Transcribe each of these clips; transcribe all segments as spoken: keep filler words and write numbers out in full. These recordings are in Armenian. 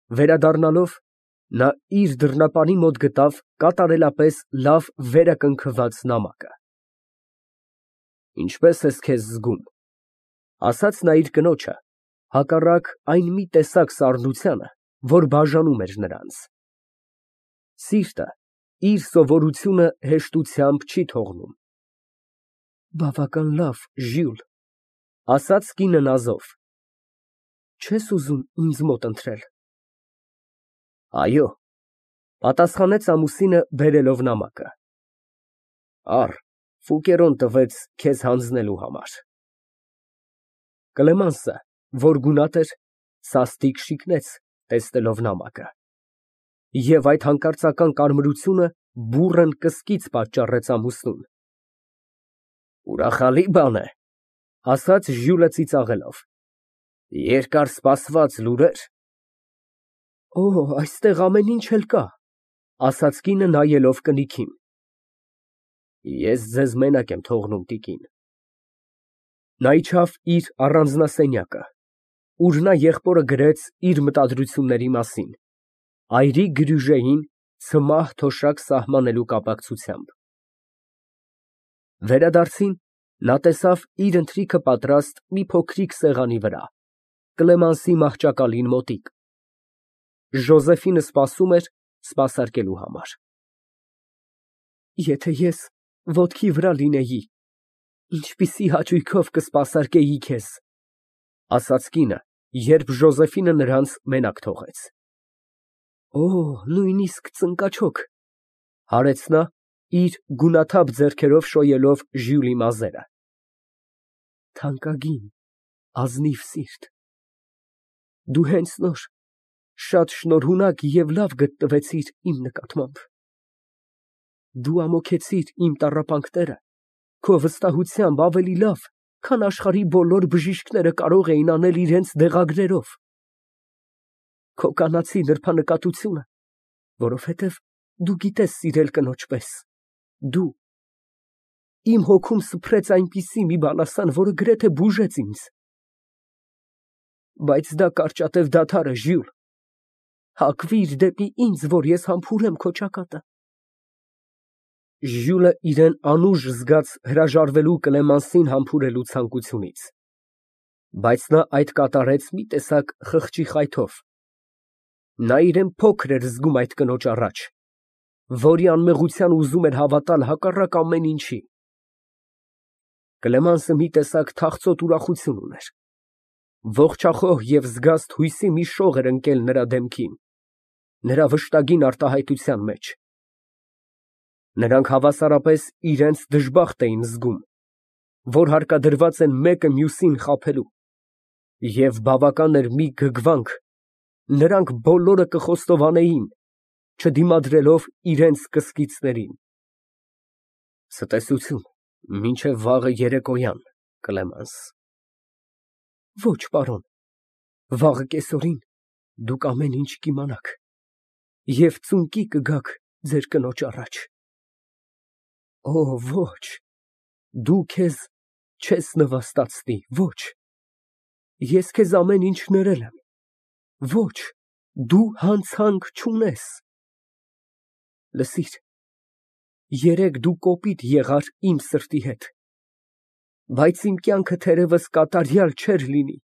Վերադառնալով, նա իր դռնապանի մոտ գտավ կատարելապես լավ վերակնքված նամակը։ «Ինչպե՞ս ես քեզ զգում», ֊ ասաց նա իր կնոջը, հակառակ այն մի տեսակ սառնությանը, որ բաժանում էր նրանց։ Սիրտը իր սովորությունը հեշտությամբ չի թողնում։ ֊ Բավական լավ, Ժյուլ, ֊ ասաց կինը նազով։ ֊ Չե՞ս ուզում ինձ մոտ ընթրել։ ֊ Այո, ֊ պատասխանեց ամուսինը, բերելով նամակը։ ֊ Առ, Ֆուկերոն տվեց քեզ հանձնելու համար։ Կլեմանսը, որ գունատ էր, սաստիկ շիկնեց, տեսնելով նամակը, և այդ հանկարծական կարմրությունը բուռն կսկիծ պատճառեց ամուսնուն։ ֊ Ուրախալի բան է, ֊ ասաց Ժյուլը ծիծաղելով, ֊ երկար սպասված լուրեր։ ֊ Օ, այստեղ ամեն ինչ էլ կա, ֊ ասաց կինը, նայելով կնիքին։ ֊ Ես ձեզ մենակ եմ թողնում, տիկին։ Նա իջավ իր առանձնասենյակը, ուր նա եղբորը գրեց իր մտադրությունների մասին, այրի Գրյուժեին ցմահ թոշակ սահմանելու կապակցությամբ։ Վերադարձին, նա տեսավ իր ընթրիքը պատրաստ մի փոքրիկ սեղանի վրա, Կլեմանսի մահճակալին մոտիկ։ Ժոզեֆինը սպասում էր սպասարկելու համար։ Եթե ես ոտքի վրա լինեի, ինչպիսի հաճույքով կսպասարկեի քեզ, ֊ ասաց կինը, երբ Ժոզեֆինը նրանց մենակ թողեց։ ֊ Օ, նույնիսկ ծնկաչոք, ֊ հարեց նա, իր գունաթափ ձեռքերով շոյելով Ժյուլի մազերը։ ֊ Թանկագին, ազնիվ սիրտ, դու հենց նոր շատ շնորհունակ և լավ գտնվեցիր իմ նկատմամբ։ Դու ամոթեցիր իմ տառապանքները քո վստահությամբ ավելի լավ, քան աշխարհի բոլոր բժիշկները կարող էին անել իրենց դեղագրերով։ Քո կանացի նրբանկատությունը, որովհետև դու գիտես սիրել կնոջ պես, դու… Իմ հոգում սփռեց այնպիսի մի բալասան, որը գրեթե բուժեց ինձ։ Բայց դա կարճատև դադար է, Ժյուլ, հակվիր դեպի ինձ, որ ես համբուրեմ քո ճակատը։ Ժյուլը իրան անուժ զգաց հրաժարվելու Կլեմանսին համբուրելու ցանկությունից, բայց նա այդ կատարեց մի տեսակ խղճի խայթով. նա իրան փոքր էր զգում այդ կնոջ առաջ, որի անմեղությանը ուզում էր հավատալ հակառակ ամեն ինչի։ Կլեմանսը մի տեսակ թախծոտ ուրախություն ուներ, ողջախոհ և զգաստ հույսի մի շող էր ընկել նրա դեմքին, նրա վշտագին արտահայտության մեջ։ Նրանք հավասարապես իրենց դժբախտ էին զգում, որ հարկադրված են մեկը մյուսին խաբելու, և բավական էր մի գրգռանք, նրանք բոլորը կխոստովանեին, չդիմադրելով իրենց կսկիծներին։ Ցտեսություն, մինչև վաղը երեկոյան, Կլեմանս։ Ոչ, պարոն, վաղը կեսօրին դուք ամեն ինչ կիմանաք և ծունկի կգաք ձեր կնոջ առաջ։ Օ, ոչ, դու քեզ չես նվաստացնի, ոչ, ես քեզ ամեն ինչ ներել եմ, ոչ, դու հանցանք չունես։ Լսիր, երեկ դու կոպիտ եղար իմ սրտի հետ, բայց իմ կյանքը թերևս կատարյալ չէր լինի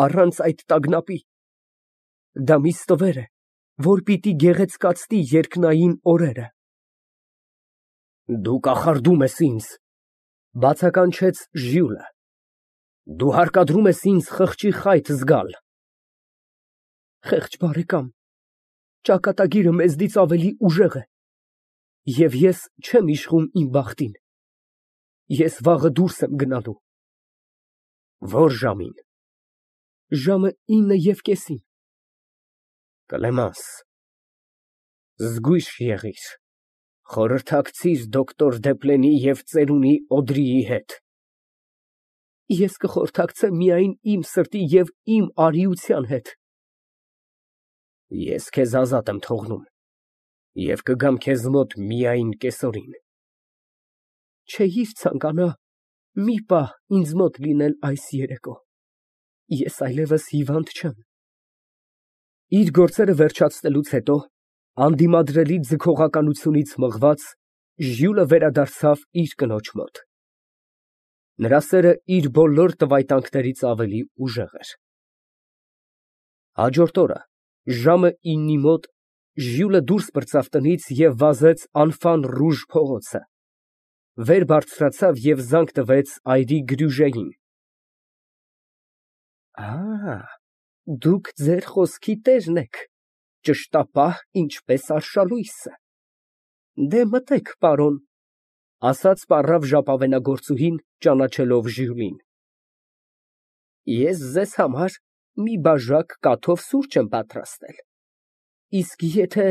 առանց այդ տագնապի։ Դա մի ստվեր է, որ պիտի գեղեցկացնի երկնային օրերը։ Դու կախարդում ես ինձ, ֊ բացականչեց Ժյուլը, ֊ դու հարկադրում ես ինձ խղճի խայտ զգալ։ Խեղճ բարեկամ, ճակատագիրը մեզնից ավելի ուժեղ է, և ես չեմ իշխում իմ բախտին։ Ես վաղը դուրս եմ գնալու։ Ո՞ր ժամին։ Ժամը ինը և կեսին։ Կլեմանս, զգույշ եղիր, խորհրդակցիր դոկտոր Դեպլենի և ծերունի Օդրիի հետ։ Ես կխորհրդակցեմ միայն իմ սրտի և իմ արիության հետ։ Ես քեզ ազատ եմ թողնում և կգամ քեզ մոտ միայն կեսօրին։ Չէիր ցանկանա մի պահ ինձ մոտ լինել այս երեկո, ես այլևս հիվանդ չեմ։ Իր գործերը վերջացնելուց հետո, անդիմադրելի ձգողականությունից մղված, Ժյուլը վերադարձավ իր կնոջ մոտ։ Նրա սերը իր բոլոր տվայտանքներից ավելի ուժեղ էր։ Հաջորդ օրը ժամը իննի մոտ Ժյուլը դուրս պրծավ տնից և վազեց Անֆան Ռուժ փողոցը, վեր բարձրացավ և զանգ տվեց այրի Գրյուժեին։ Ա, դուք ձեր խոսքի տերն եք, ճշտապահ, ինչպես արշալույսը։ Դե մտեք, պարոն, ասաց պառավ ժապավենագործուհին, ճանաչելով Ժյուլին։ Ես ձեզ համար մի բաժակ կաթով սուրճ եմ պատրաստել, իսկ եթե…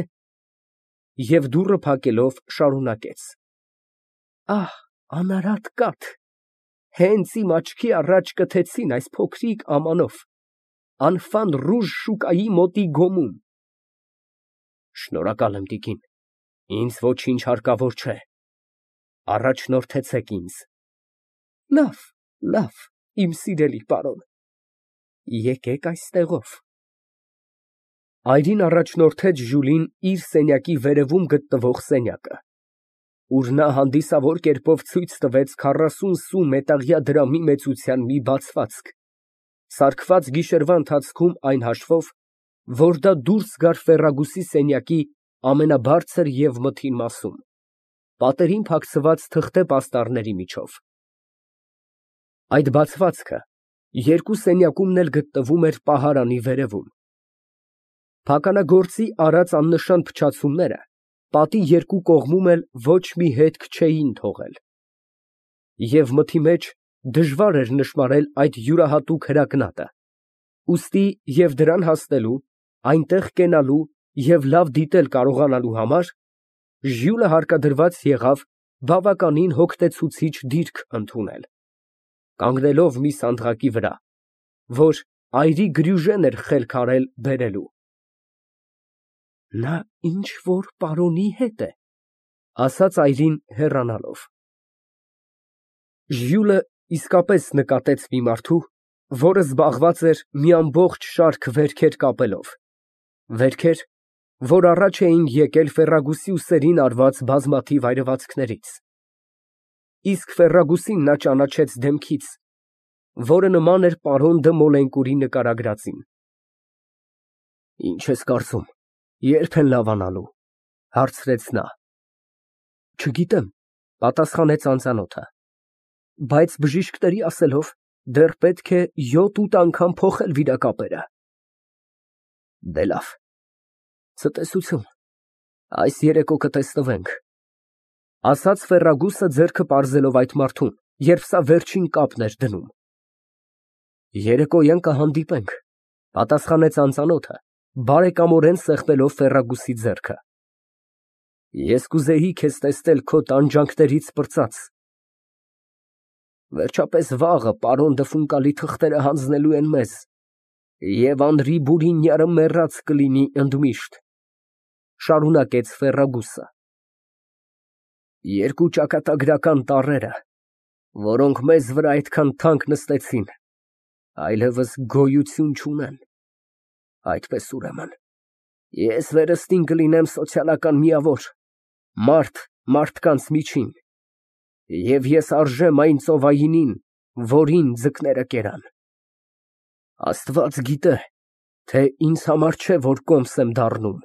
և դուռը փակելով շարունակեց. Ահ, անարատ կաթ, հենց իմ աչքի առաջ կթեցին այս փոքրիկ ամանով, Անֆան Ռուժ շուկայի մոտի գոմում։ Շնորհակալ եմ, տիկին, ինձ ոչինչ հարկավոր չէ, առաջնորդեցեք ինձ։ Լավ, լավ, իմ սիրելի պարոն, եկեք այստեղով։ Այրին առաջնորդեց Ժյուլին իր սենյակի վերևում գտնվող սենյակը, ուր նա հանդիսավոր կերպով ցույց տվեց քառասուն սու մետաղյա դրամի մեծության մի բացվածք, սարքված գիշերվա ընթացքում այն հաշվով, որ դա դուրս գար ֆեռագուսի սենյակի ամենաբարձր և մթին մասում, պատերին փակցված թղթե պաստառների միջով։ Այդ բացվածքը երկու սենյակումն էլ գտնվում էր պահարանի վերևում։ Փականագործի արած աննշան փչացումները պատի երկու կողմում էլ ոչ մի հետք չէին թողել, և մթի մեջ դժվար էր նշմարել այդ յուրահատուկ հրակնատը, ուստի և դրան հասնելու, այնտեղ կենալու և լավ դիտել կարողանալու համար Ժյուլը հարկադրված եղավ բավականին հոգնեցուցիչ դիրք ընդունել, կանգնելով մի սանդղակի վրա, որ այրի Գրյուժեն էր խելք արել բերելու։ Նա ինչ֊որ պարոնի հետ է, ասաց այրին հեռանալով։ Ժյուլը իսկապես նկատեց մի մարդու, որը զբաղված էր մի ամբողջ շարք վերքեր կապելով, վերքեր, որ առաջ էին եկել ֆեռագուսի ուսերին արված բազմաթիվ այրվածքներից, իսկ ֆեռագուսին նա ճանաչեց դեմքից, որը նման էր պարոն դը Մոլենկուրի նկարագրածին։ Ինչ ես կարծում, ե՞րբ են լավանալու, հարցրեց նա։ Չգիտեմ, պատասխանեց անծանոթը, բայց բժիշկների ասելով, դեռ պետք է յոթ֊ութ անգամ փոխել վիրակապերը։ Դե լավ, ցտեսություն, այս երեկո կտեսնվենք, ասաց ֆեռագուսը ձեռքը պարզելով այդ մարդուն, երբ սա վերջին կապն էր դնում։ Երեկոյան կհանդիպենք, պատասխանեց անծանոթը, բարեկամորեն սեղմելով Ֆեռագուսի ձեռքը։ Ես կուզեի քեզ տեսնել քո տանջանքներից պրծած։ Վերջապես վաղը պարոն դը Ֆունկալի թղթերը հանձնելու են մեզ, և Անրի Բուրինյարը մեռած կլինի ընդմիշտ, շարունակեց Ֆեռագուսը։ Երկու ճակատագրական տառերը, որոնք մեզ վրա այդքան թանկ նստեցին, այլևս գոյություն չունեն, այդպես ուրեմն, ես վերստին կլինեմ սոցիալական միավոր, մարդ մարդկանց միջին, և ես արժեմ այն ծովայինին, որին ձկները կերան։ Աստված գիտե, թե ինձ համար չէ, որ կոմս եմ դառնում։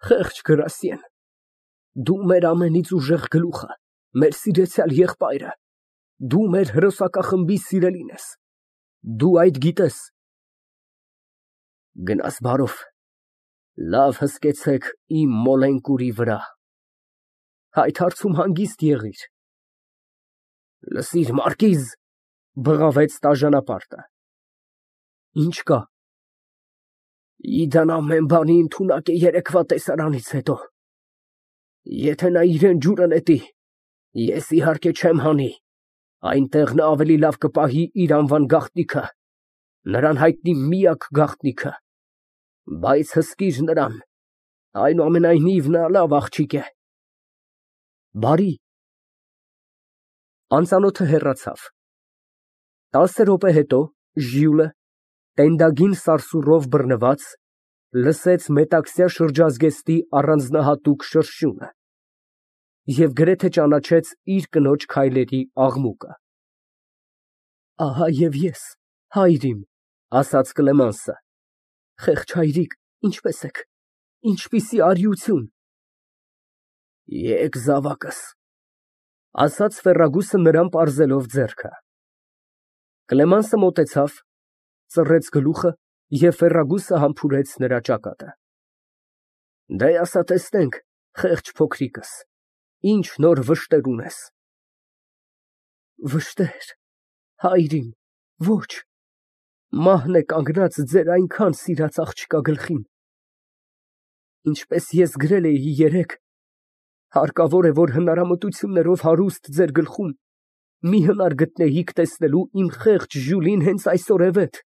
Խեղճ գրասիեն, դու մեր ամենից ուժեղ գլուխը, մեր սիրեցյալ եղբայրը, դու մեր հրոսակախմբի սիրելին ես, դու այդ գիտես։ Գնաս բարով, լավ հսկեցեք իմ Մոլենկուրի վրա, այդ հարցում հանգիստ եղիր։ Լսիր, մարկիզ, բղավեց տաժանապարտը։ Ինչ կա։ Իդան ամեն բանի ընդունակ է երեկվա տեսարանից հետո, եթե նա իրան ջուրը նետի, ես իհարկե չեմ հանի, այնտեղ նա ավելի լավ կպահի իր անվան գաղտնիքը, նրան հայտնի միակ գաղտնիքը, բայց հսկիր նրան, այնուամենայնիվ նա լավ աղջիկ է։ Բարի։ Անծանոթը հեռացավ։ Տասը րոպե հետո Ժյուլը, Տենդագին սարսուռով բռնված, լսեց մետաքսյա շրջազգեստի առանձնահատուկ շրշյունը և գրեթե ճանաչեց իր կնոջ քայլերի աղմուկը։ Ահա և ես, հայր իմ, ասաց Կլեմենսը, խեղճ հայրիկ, ինչպե՞ս եք, ինչպիսի արիություն։ Եկ զավակս, ասաց Ֆերրագուսը նրան պարզելով ձեռքը։ Կլեմենսը մոտեցավ, ծռեց գլուխը և Ֆերրագուսը համբուրեց նրա ճակատը։ Դե ասա տեսնենք, խեղճ փոքրիկս, ինչ նոր վշտեր ունես։ Վշտեր, հայր իմ, ոչ, մահն է կանգնած ձեր այնքան սիրած աղջկա գլխին։ Ինչպես ես գրել էի երեկ, հարկավոր է, որ հնարամտություններով հարուստ ձեր գլխում մի հնար գտնեիք տեսնելու իմ խեղճ Ժյուլին հենց այսօրևեթ։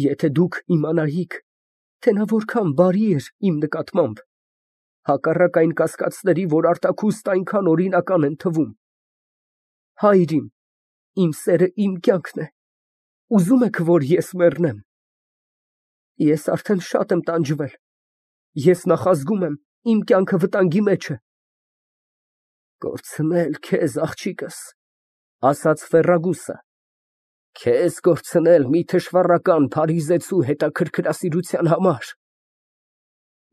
Եթե դուք իմանայիք, թե նա որքան բարի էր իմ նկատմամբ, հակառակ այն կասկածների, որ արտաքուստ այնքան օրինական են թվում։ Հայր իմ, իմ սերը իմ կյանքն է, ուզում եք, որ ես մեռնեմ։ Ես արդեն շատ եմ տանջվել, ես նախազգում եմ, իմ կյանքը վտանգի մեջ է։ Կորցնել քեզ, աղջիկս, ասաց Ֆերրագուսը, քեզ կորցնել մի թշվառական փարիզեցու հետաքրքրասիրության համար։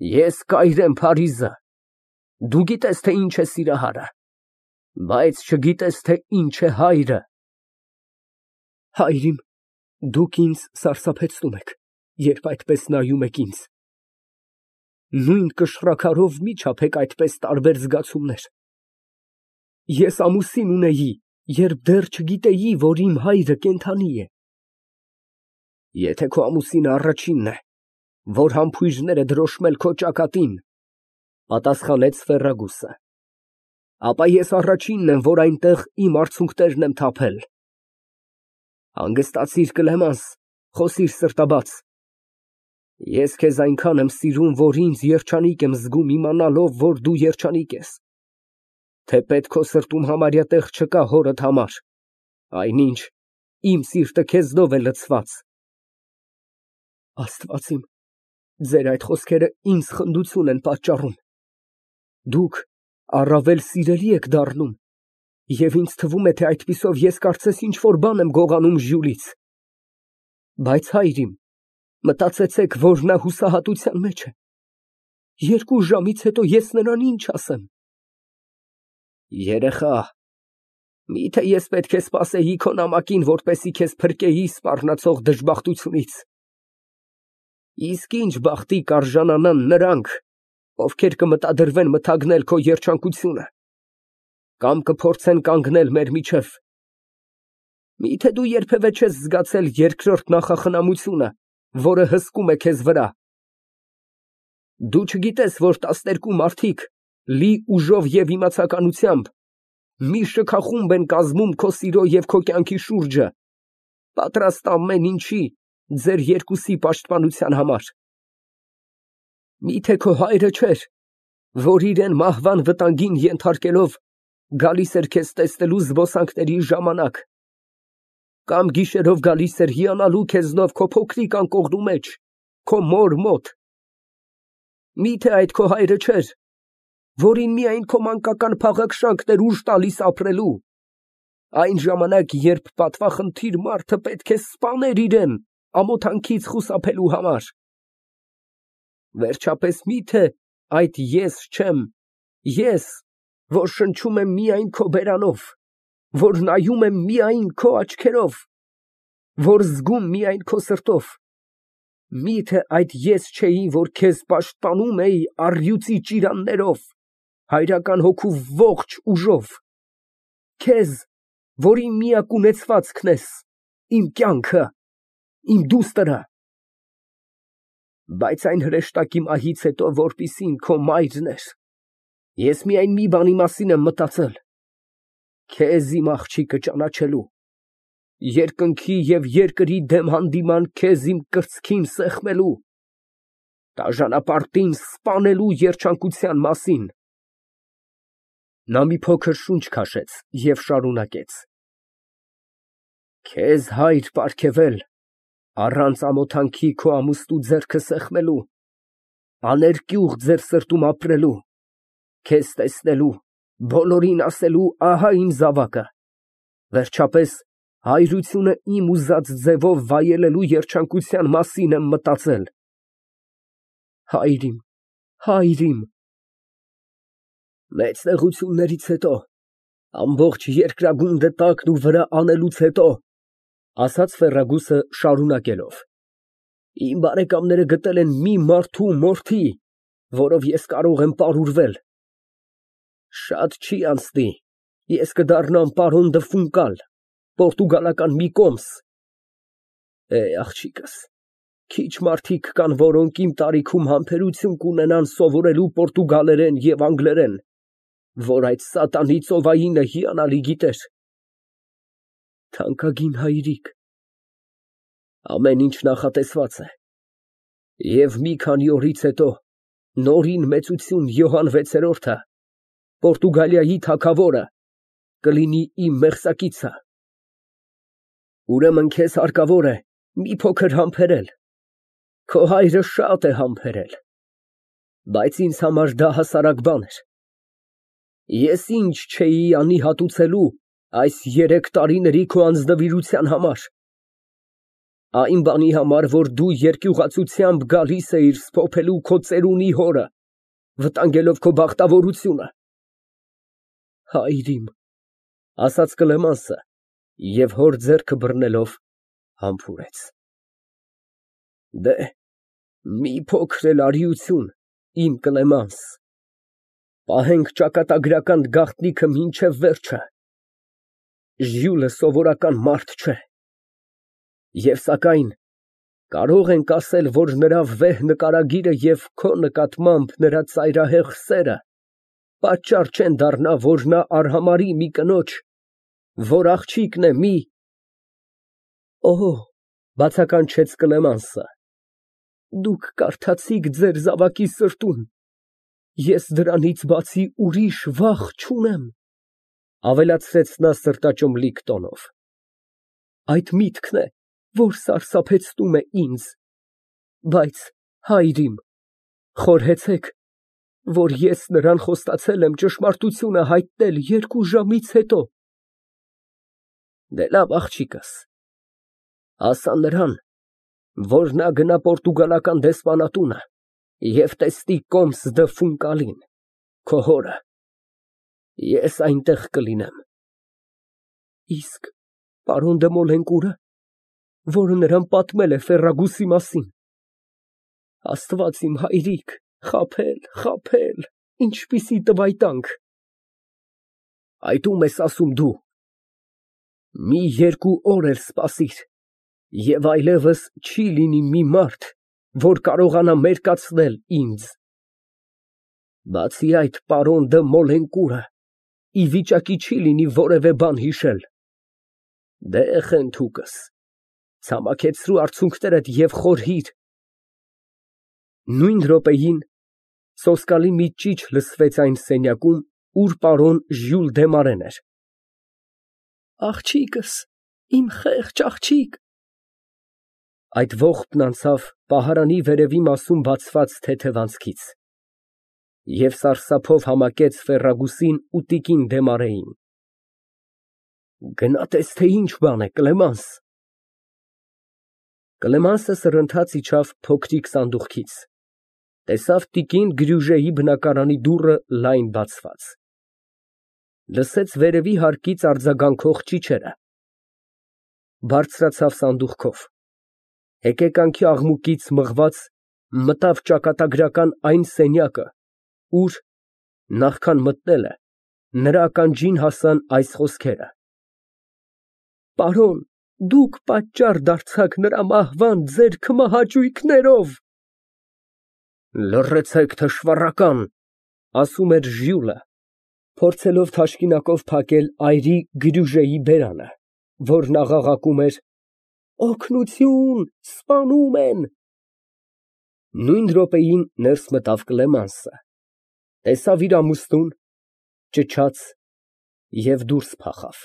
Ես կայր եմ Փարիզը, դու գիտես, թե ինչ է սիրահարը, բայց չգիտես, թե ինչ է հայրը։ Հայր իմ, դուք ինձ սարսափեցնում եք, երբ այդպես նայում եք ինձ։ Նույն կշռաքարով մի չափեք այդպես տարբեր զգացումներ։ Ես ամուսին ունեի, երբ դեռ չգիտեի, որ իմ հայրը կենդանի է։ Եթե քո ամուսինը առաջինն է, որ համբույրներ է դրոշմել քո ճակատին, պատասխանեց Ֆերրագուսը, ապա ես առաջինն եմ, որ այնտեղ իմ արցունքներն եմ թափել։ Հանգստացիր, Կլեմենս, խոսիր սրտաբաց։ Ես քեզ այնքան եմ սիրում, որ ինձ երջանիկ եմ զգում իմանալով, որ դու երջանիկ ես, թեպետ քո սրտում համարյա տեղ չկա հորդ համար, այնինչ իմ սիրտը քեզնով է լցված։ Աստված իմ, ձեր այդ խոսքերը ինձ խնդություն են պատճառում։ Դուք առավել սիրելի եք դառնում, և ինձ թվում է, թե այդպիսով ես կարծես ինչ֊որ բան եմ գողանում Ժյուլից։ Բայց հայր իմ, մտածեցեք, որ նա հուսահատության մեջ է։ Երկու ժամից հետո ես նրան ինչ ասեմ։ Երեխա, միթե ես պետք է սպասեի քո նամակին, որպեսզի քեզ փրկեի սպառնացող դժբախտությունից։ Իսկ ինչ բախտի կարժանանան նրանք, ովքեր կմտադրվեն մթագնել քո երջանկությունը, կամ կփորձեն կանգնել մեր միջև։ Միթե դու երբևէ չես զգացել երկրորդ նախախնամությունը, որը հսկում է քեզ վրա։ Դու չգիտես, որ տասներկու մարդիկ, լի ուժով և իմացականությամբ, մի շքախումբ են կազմում քո սիրո և քո կյանքի շուրջը, պատրաստ ամեն ինչի ձեր երկուսի պաշտպանության համար։ Միթե քո հայրը չէր, որ իրան մահվան վտանգին ենթարկելով գալիս էր քեզ տեսնելու զբոսանքների ժամանակ, կամ գիշերով գալիս էր հիանալու քեզնով քո փոքրիկ անկողնու մեջ, քո մոր մոտ։ Միթե այդ քո հայրը չէր, որին միայն քո մանկական փաղաքշանքն էր ուժ տալիս ապրելու, այն ժամանակ, երբ պատվախնդիր մարդը պետք է սպաներ իրան ամոթանքից խուսափելու համար։ Վերջապես միթե այդ ես չեմ, ես, որ շնչում եմ միայն քո բերանով, որ նայում եմ միայն քո աչքերով, որ զգում միայն քո սրտով։ Միթե այդ ես չէի, որ քեզ պաշտպանում էի առյուծի ճիրաններով, հայրական հոգու ողջ ուժով, քեզ, որ իմ միակ ունեցվածքն ես, իմ կյանքը, իմ դուստրը։ Բայց այն հրեշտակի մահից հետո, որպիսին քո մայրն էր, ես միայն մի բանի մասին եմ մտածել, քեզ իմ աղջիկը ճանաչելու, երկնքի և երկրի դեմ հանդիման քեզ իմ կրծքին սեղմելու, տաժանապարտին սպանելու երջանկության մասին։ Նա մի փոքր շունչ քաշեց և շարունակեց. Քեզ հայր պարգևել, Առանց ամոթանքի քո ամուստու ձեռքը սեղմելու, աներկյուղ ձեր սրտում ապրելու, քեզ տեսնելու, բոլորին ասելու, ահա իմ զավակը, վերջապես հայրությունը իմ ուզած ձևով վայելելու երջանկության մասին եմ մտածել։ Հայր իմ, հայր իմ։ Մեծ նեղություններից հետո, ամբողջ երկրագունդը տակն ու վրա անելուց հետո, ասաց Ֆերրագուսը շարունակելով, իմ բարեկամները գտել են մի մարդու մորթի, որով ես կարող եմ պարուրվել, շատ չի անցնի, ես կդառնամ պարոն դը Ֆունկալ, պորտուգալական մի կոմս։ Է, աղջիկս, քիչ մարդիկ կան, որոնք իմ տարիքում համբերություն կունենան սովորելու պորտուգալերեն և անգլերեն, որ այդ սատանի ծովայինը հիանալի գիտեր։ Թանկագին հայրիկ, ամեն ինչ նախատեսված է, և մի քանի օրից հետո նորին մեծություն Յոհան վեցերորդը, Պորտուգալիայի թագավորը, կլինի իմ մեղսակիցը։ Ուրեմն քեզ հարկավոր է մի փոքր համբերել, քո հայրը շատ է համբերել, բայց ինձ համար դա հասարակ բան էր։ Ես ինչ չէի անի հատուցելու այս երեք տարիների քո անձնվիրության համար, այն բանի համար, որ դու երկյուղացությամբ գալիս էիր սփոփելու քո ծերունի հորը, վտանգելով քո բախտավորությունը։ Հայր իմ, ասաց Կլեմանսը և հոր ձեռքը բռնելով համբուրեց։ Դե, մի փոքր էլ արիություն, իմ Կլեմանս, պահենք ճակատագրական գաղտնիքը մինչև վերջը։ Ժյուլը սովորական մարդ չէ։ Եվ սակայն կարող ենք ասել, որ նրա վեհ նկարագիրը և քո նկատմամբ նրա ծայրահեղ սերը պատճառ չեն դառնա, որ նա արհամարհի մի կնոջ, որ աղջիկն է մի… Օհ, բացականչեց Կլեմանսը, դուք կարդացիք ձեր զավակի սրտում, ես դրանից բացի ուրիշ վախ չունեմ, ավելացրեց նա սրտաճմլիկ տոնով։ Այդ միտքն է, որ սարսափեցնում է ինձ, բայց, հայր իմ, խորհեցեք, որ ես նրան խոստացել եմ ճշմարտությունը հայտնել երկու ժամից հետո։ Դե լավ, աղջիկս, ասա նրան, որ նա գնա պորտուգալական դեսպանատունը և տեսնի կոմս դը Ֆունկալին, քո հորը, ես այնտեղ կլինեմ։ Իսկ պարոն դը Մոլենկուրը, որը նրան պատմել է Ֆերրագուսի մասին… Աստված իմ հայրիկ, խաբել, խաբել, ինչպիսի տվայտանք… Այդ ո՞ւմ ես ասում դու… Մի երկու օր էլ սպասիր, և այլևս չի լինի մի մարդ, որ կարողանա մերկացնել ինձ… Բացի այդ, պարոն դը Մոլենկուրը ի վիճակի չի լինի որևէ բան հիշել… Դե, խենթուկս, ցամաքեցրու արցունքներդ և խորհիր… Նույն րոպեին սոսկալի մի ճիչ լսվեց այն սենյակում, ուր պարոն Ժյուլ Դեմարեն էր։ Աղջիկս, իմ խեղճ աղջիկ… Այդ ողբն անցավ պահարանի վերևի մասում բացված թեթև անցքից և սարսափով համակեց Ֆերրագուսին ու տիկին Դեմարեին։ Գնա տես, թե ինչ բան է, Կլեմանս… Կլեմանսը սրընթաց իջավ փոքրիկ սանդուղքից, տեսավ տիկին Գրյուժեի բնակարանի դուռը լայն բացված, լսեց վերևի հարկից արձագանքող ճիչերը, բարձրացավ սանդուղքով, հեկեկանքի աղմուկից մղված, մտավ ճակատագրական այն սենյակը, ուր, նախքան մտնելը, նրա ականջին հասան այս խոսքերը. Պարոն, դուք պատճառ դարձաք նրա մահվան ձեր քմահաճույքներով… Լռեցեք, թշվառական, ասում էր Ժյուլը, փորձելով թաշկինակով փակել այրի Գրյուժեի բերանը, որն աղաղակում էր. Օգնություն, սպանում են… Նույն րոպեին ներս մտավ Կլեմանսը, տեսավ իր ամուսնուն, ճչաց և դուրս փախավ։